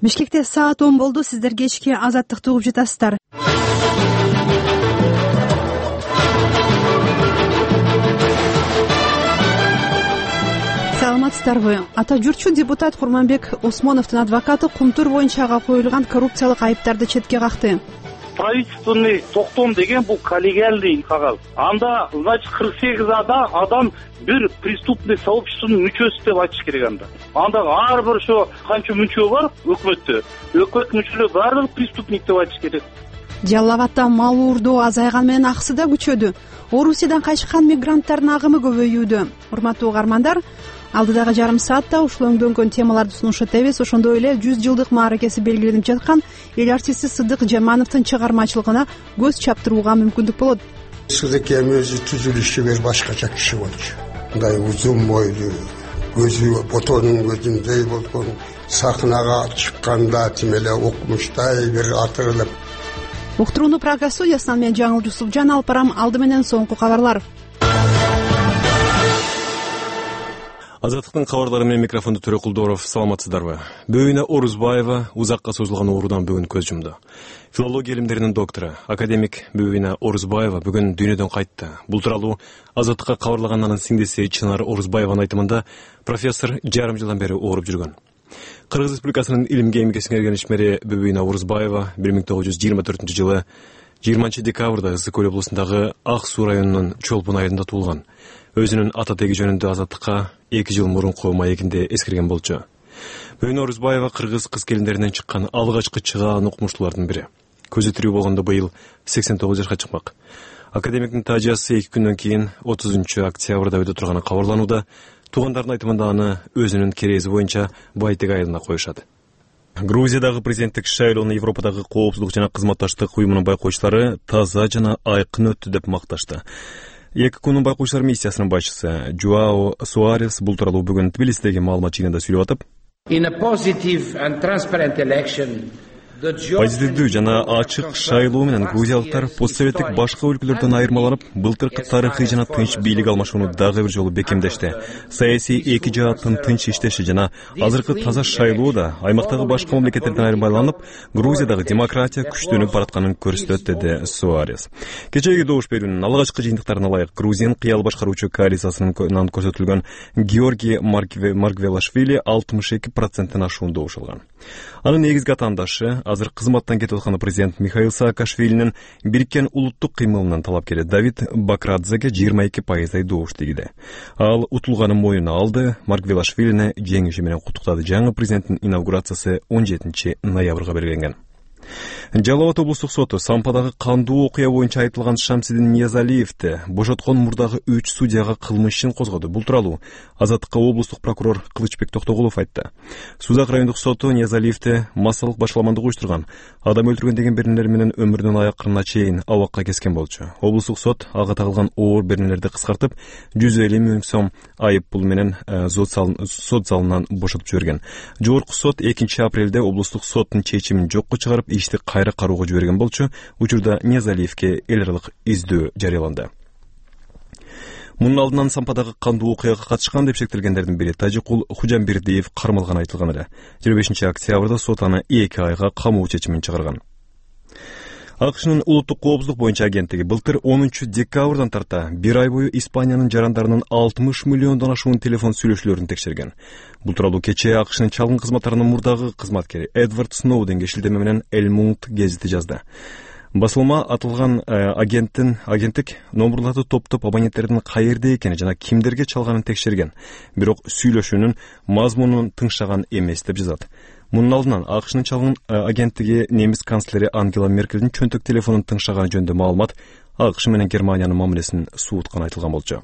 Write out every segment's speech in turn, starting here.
Бишкекте саат 10 болду. Сиздер кечки Азаттыкты угуп жатасыздар. Саламатсыздарбы? Ата журтчу депутат Курманбек Усмоновдун адвокаты Кумтур боюнча ага коюлган коррупциялык айыптарды четке какты. Правительственный токтом деген бул коллегиальный кагаз. Анда, значит, 48 адам бир преступный сообществонун мүчөсү деп айтыш керек анда. Анда ар бир ошо канча мүчө бар өкмөттө. Өкмөт мүчөлөрү баардыгы преступник деп айтыш керек. Жалал Абадда мал уурдоо азайган менен акысы да күчөдү. Орусиядан качкан мигранттардын агымы көбөйүүдө. Урматтуу угармандар, алдыдагы жарым саатта ушул өңдөнгөн темаларды сунуштап өтөбүз. Ошондой эле 100 жылдык мааракеси белгиленип жаткан эл артисти Сыдык Жамановдун чыгармачылыгына көз чаптырууга мүмкүндүк болот. Сыдык эми өзү түзүлүшү башкача киши болчу. Мындай узун бойлуу, көзү ботонун көзүндөй болгон, сахнага чыкканда тим эле окумуштай бир атырылып. Уктурууну Прага студиясынан мен Жаңыл Жусупжан алып барам. Алды менен соңку кабарлар. Азаттыктын кабарлары менен микрофондо Төрө Кулдоров. Саламатсыздарбы? Бөйүнө Орузбаева узакка созулган ооруудан бүгүн көз жумду. Филология илимдеринин доктору, академик Бөйүнө Орузбаева бүгүн дүйнөдөн кайтты. Бул тууралуу Азаттыкка кабарлаган сиңдиси Чынар Орузбаеванын айтымында профессор жарым жылдан бери ооруп жүргөн. Кыргыз Республикасынын илимге эмгек сиңирген ишмери Бөйүнө Орузбаева 1924 жылы 20 декабрда Ысык Көл облусундагы Ак Суу районунун Чолпун айылында туулган. Өзүнүн ата теги жөнүндө Азаттыкка 2 жыл мурунку маегинде эскерген болчу. Бөйүнө Орузбаева кыргыз кыз-келиндеринен чыккан алгачкы чыгаан окумуштуулардын бири. Көзү тирүү болгондо быйыл 89 жашка чыкмак. Академиктин таажиясы 2 күндөн кийин 30 октябрда өтө турганы кабарланууда. Туугандардын айтымында аны өзүнүн керези боюнча Байтек айылына коюшат. Грузиядагы президенттик шайлоону Европадагы коопсуздук жана кызматташтык уюмунун байкоочулары таза жана айкын өттү деп макташты. ЭККУнун байкоочулар миссиясынын башчысы Жуао Суарес бул тууралуу бүгүн Тбилисидеги маалымат жыйынында сүйлөп атып, позитивдүү жана ачык шайлоо менен грузиялыктар постсоветтик башка өлкөлөрдөн айырмаланып, былтыркы тарыхый жана тынч бийлик алмашууну дагы бир жолу бекемдешти. Саясий эки жааттын тынч иштеши жана азыркы таза шайлоо да аймактагы башка мамлекеттерден айырмаланып, Грузиядагы демократия күчтөнүп баратканын көрсөтөт, деди Суарес. Кечээги добуш берүүнүн алгачкы жыйынтыктарына ылайык Грузиянын кыял башкаруучу коалициясынан көрсөтүлгөн Георгий Маргвелашвили 62%-тен ашуун добуш алган. Анын негизги атаандашы азыр кызматтан кетип аткан президент Михаил Саакашвилинин бириккен улуттук кыймылынын талапкери Давид Бакрадзеге 22% добуш тийди. Ал утулганын моюнуна алды. Маргвелашвилини жеңиши менен куттуктады. Жаңы президенттин инаугурациясы 17 ноябрга белгиленген. Жалал Абад облустук соту Сампадагы кандуу окуя боюнча айтылган Шамсидин Ниязалиевди бошоткон мурдагы 3 судьяга кылмыш ишин козгоду. Бул тууралуу Азаттыкка облустук прокурор Кылычбек Токтогулов айтты. Сузак райондук соту Ниязалиевди массалык башаламандык уюштурган, адам өлтүргөн деген беренелер менен өмүрүнүн аякырына чейин абакка кескен болчу. Облустук сот ага тагылган оор беренелерди кыскартып 150 миң сом айып пул менен сот залынан бошотуп жиберген. Жогорку сот 2 апрелде облустук соттун чечимин жокко чыгарып ишти кайра кароого жиберген болчу. Учурда Ниязалиевге эл аралык издөө жарыяланды. Мунун алдынан Сампадагы кандуу окуяга катышкан деп шектелгендердин бири Тажикул Хужамбердиев кармалган айтылган эле. 25 октябрда сот аны 2 айга камоо чечимин чыгарган. АКШнын улуттук коопсуздук боюнча агенттиги былтыр 10 декабрдан тарта 1 ай бою Испаниянын жарандарынын 60 миллиондон ашуун телефон сүйлөшүүлөрүн текшерген. Бул тууралуу кечээ АКШнын чалгын кызматтарынын мурдагы кызматкери Эдвард Сноуденге шилтеме менен El Mundo гезити жазды. Басылма атылган агенттик номурларды топтоп абоненттердин каерде экени жана кимдерге чалганын текшерген. Бирок сүйлөшүүнүн мазмунун тыңшаган эмес деп жазат. Мунун алдынан АКШнын чалгын агенттиги немис канцлери Ангела Меркельдин чөнтөк телефонун тыңшаганы жөнүндө маалымат АКШ менен Германиянын мамилесин суутканы айтылган болчу.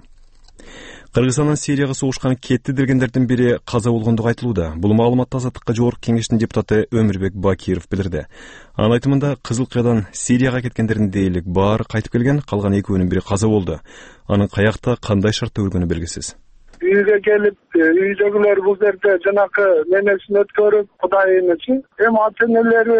Кыргызстандын Сирияга согушкан кетти дегендердин бири каза болгондугу айтылууда. Бул маалыматты Азаттыкка Жогорку кеңештин депутаты Өмүрбек Бакиров билдирди. Анын айтымында Кызыл Кыядан Сирияга кеткендердин дээрлик баары кайтып келген, калган экөөнүн бири каза болду. Анын каякта кандай шартта өлгөнү белгисиз. Үйгө келип, үйдөгүлөр бул жерде жанакы менесин өткөрүп, Кудайын үчүн, эми ата-энелери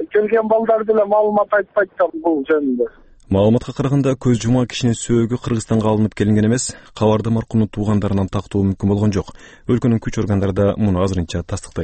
келген балдар деле маалымат айтпайт да бул жөнүндө. Маалыматка караганда көз жумган кишинин сөөгү Кыргызстанга алынып келинген эмес, кабарда маркумдун туугандарынан тактоо мүмкүн болгон жок. Өлкөнүн күч органдары да муну азырынча тастыктайт.